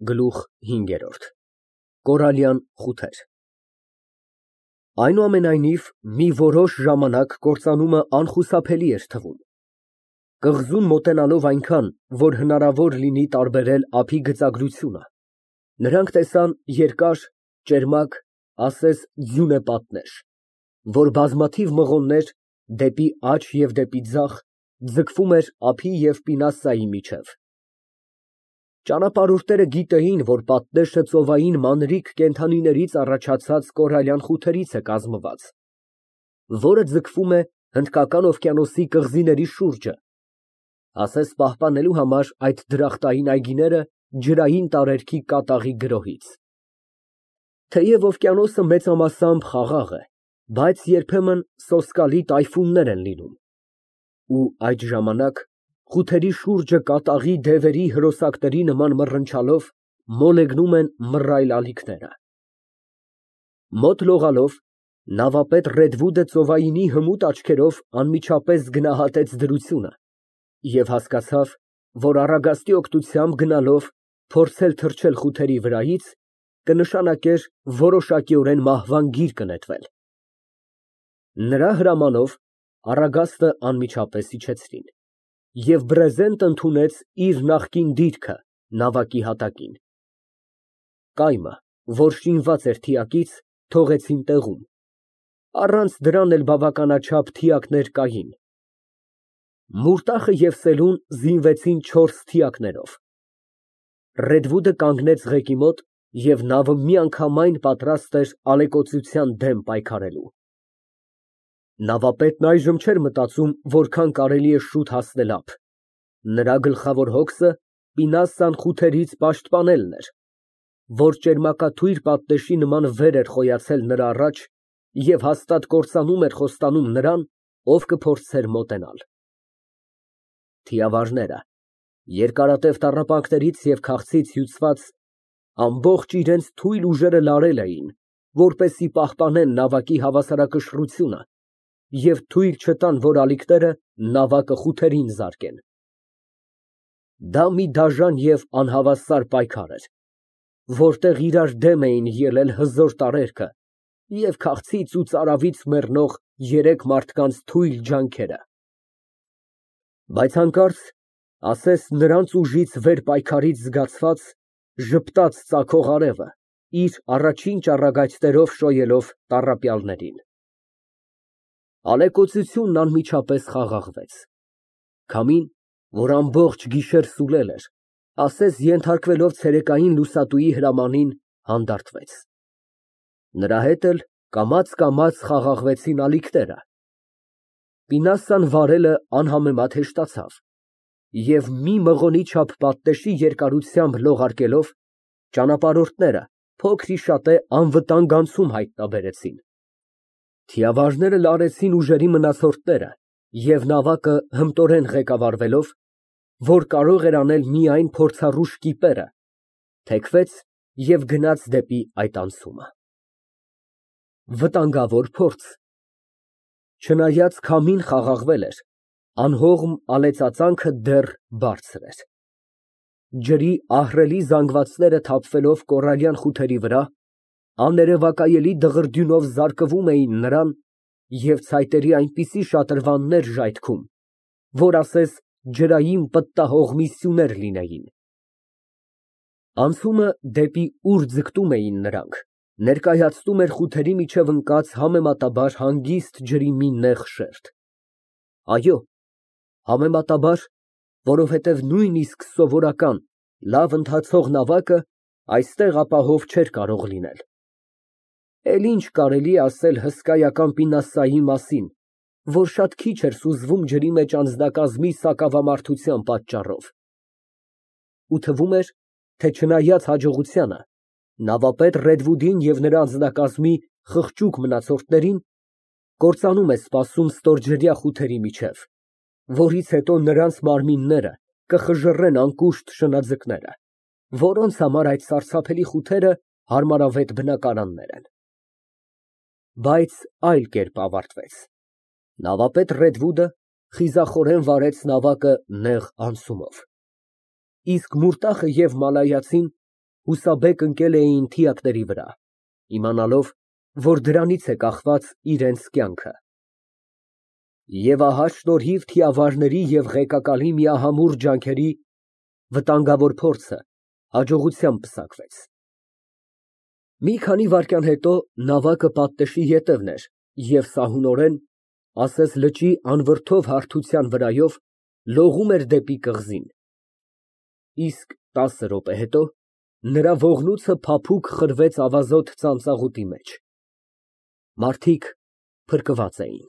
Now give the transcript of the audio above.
Գլուխ 5 Կորալյան խութեր Այնուամենայնիվ, մի որոշ ժամանակ կործանումը անխուսափելի էր թվում։ Կղզուն մոտենալով այնքան, որ հնարավոր լինի տարբերել ափի գծագրությունը, նրանք տեսան երկար, ճերմակ, ասես ձյունե պատներ, որ բազմաթիվ մղոններ դեպի աջ և դեպի ձախ ձգվում էր ափի և պինասայի միջև։ Ճանապարհորդները գիտեին, որ պատնեշը ծովային մանրիկ կենդանիներից առաջացած կորալյան խութերից է կազմված, որը ձգվում է Հնդկական օվկիանոսի կղզիների շուրջը, ասես պահպանելու համար այդ դրախտային այգիները ջրային տարերքի կատաղի գրոհից։ Թեև օվկիանոսը մեծամասամբ խաղաղ է, բայց երբեմն սոսկալի տայֆուններ են լինում, ու այդ ժամանակ խութերի շուրջը կատաղի դևերի հրոսակների նման մռնչալով մոլեգնում են մռայլ ալիքները։ Մոտ լողալով նավապետ Ռեդվուդը ծովայինի հմուտ աչքերով անմիջապես գնահատեց դրությունը և հասկացավ, որ առագաստի օգնությամբ գնալով փորձել թռչել խութերի վրայից կնշանակեր որոշակիորեն մահվան գիրկը նետվել։ Նրա հրամանով առագաստը անմիջապես իջեցրին, և բրեզենտը ընդունեց իր նախկին դիրքը նավակի հատակին։ Կայմը, որ շինված էր թիակից, թողեցին տեղում, առանց դրան էլ բավականաչափ թիակներ կային։ Մուրտախը և Սելուն զինվեցին 4 թիակներով։ Ռեդվուդը կանգնեց ղեկի մոտ, և նավը միանգամայն պատրաստ էր ալեկոծության դեմ պայքարելու։ Նավապետն այժմ չէր մտածում որքան կարելի է շուտ հասնել ափ։ Նրա գլխավոր հոգսը պինասան խութերից պաշտպանելն էր, որ ճերմակաթույր պատնեշի նման վեր էր խոյացել նրա առաջ և հաստատ կործանում էր խոստանում նրան, ով կփորձեր մոտենալ։ Թիավարները, երկարատև տառապանքներից և քաղցից հյուծված, ամբողջ իրենց թույլ ուժերը լարել էին, որպեսզի պահպանեն նավակի հավասարակշռությունը և թույլ չտան, որ ալիքները նավակը խութերին զարկեն։ Դա մի դաժան և անհավասար պայքար էր, որտեղ իրար դեմ էին ելել հզոր տարերքը և քաղցից ու ծարավից մեռնող 3 մարդկանց թույլ ջանքերը։ Բայց հանկարծ, ասես նրանց ուժից վեր պայքարից զգացված, ժպտաց ծագող արևը, իր առաջին ճառագայթներով շոյելով տառապյալներին։ Ալեկոծությունն անմիջապես խաղաղվեց։ Քամին, որ ամբողջ գիշեր սուլել էր, ասես ենթարկվելով ցերեկային լուսատուի հրամանին, հանդարտվեց։ Նրա հետ էլ կամաց խաղաղվեցին ալիքները։ Պինասան վարելը անհամեմատ հեշտացավ, և մի մղոնի չափ պատնեշի երկարությամբ լողարկելով, ճանապարհորդները փոքր-ի-շատե անվտանգ անցում հայտնաբերեցին։ Թիավարները լարեցին ուժերի մնացորդները և նավակը հմտորեն ղեկավարվելով, որ կարող էր անել միայն փորձառու շկիպերը, թեքվեց և գնաց դեպի այդ անցումը։ Վտանգավոր փորձ։ Չնայած քամին խաղաղվել էր, անհողմ ալեցածանքը դեռ բարձր էր։ Ջրի ահռելի զանգվածները թափվելով կորալյան խութերի վրա, աներևակայելի դղրդյունով զարկվում էին նրան և ցայտերի այնպիսի շատրվաններ ժայթքում, որ ասես ջրային պտտահողմի սյուներ լինեին։ Անցումը, դեպի ուր ձգտում էին նրանք, ներկայացնում էր խութերի միջև ընկած համեմատաբար հանգիստ ջրի մի նեղ շերտ։ Այո, համեմատաբար, որովհետև նույնիսկ սովորական, լավ ընթացող նավակը այստեղ ապահով չէր կարող լինել։ Էլ ինչ կարելի է ասել հսկայական պինասայի մասին, որ շատ քիչ էր սուզվում ջրի մեջ անձնակազմի սակավամարդության պատճառով։ Ու թվում էր, թե չնայած հաջողությանը, նավապետ Ռեդվուդին և նրա անձնակազմի խղճուկ մնացորդներին կործանում է սպասում ստորջրյա խութերի միջև, որից հետո նրանց մարմինները կխժռեն անկուշտ շնաձկները, որոնց համար այդ սարսափելի խութերը հարմարավետ բնակարաններ են։ Բայց այլ կերպ ավարտվեց. նավապետ Ռեդվուդը խիզախորեն վարեց նավակը նեղ անցումով, իսկ մուրտախը և մալայացին Հուսաբեկ ընկել էին թիակների վրա, իմանալով, որ դրանից է կախված իրենց կյանքը։ Եվ ահա շնորհիվ թիավարների և ղեկակալի միահամուռ ջանքերի վտանգավոր փորձը հաջողությամբ պսակվեց։ Մի քանի վայրկյան հետո նավակը պատնեշի ետևն էր և սահունորեն, ասես լճի անվրդով հարթության վրայով, լողում էր դեպի կղզին, իսկ 10 րոպե հետո նրա ողնույթը փափուկ խրվեց ավազոտ ծանծաղուտի մեջ։ Մարդիկ փրկված էին։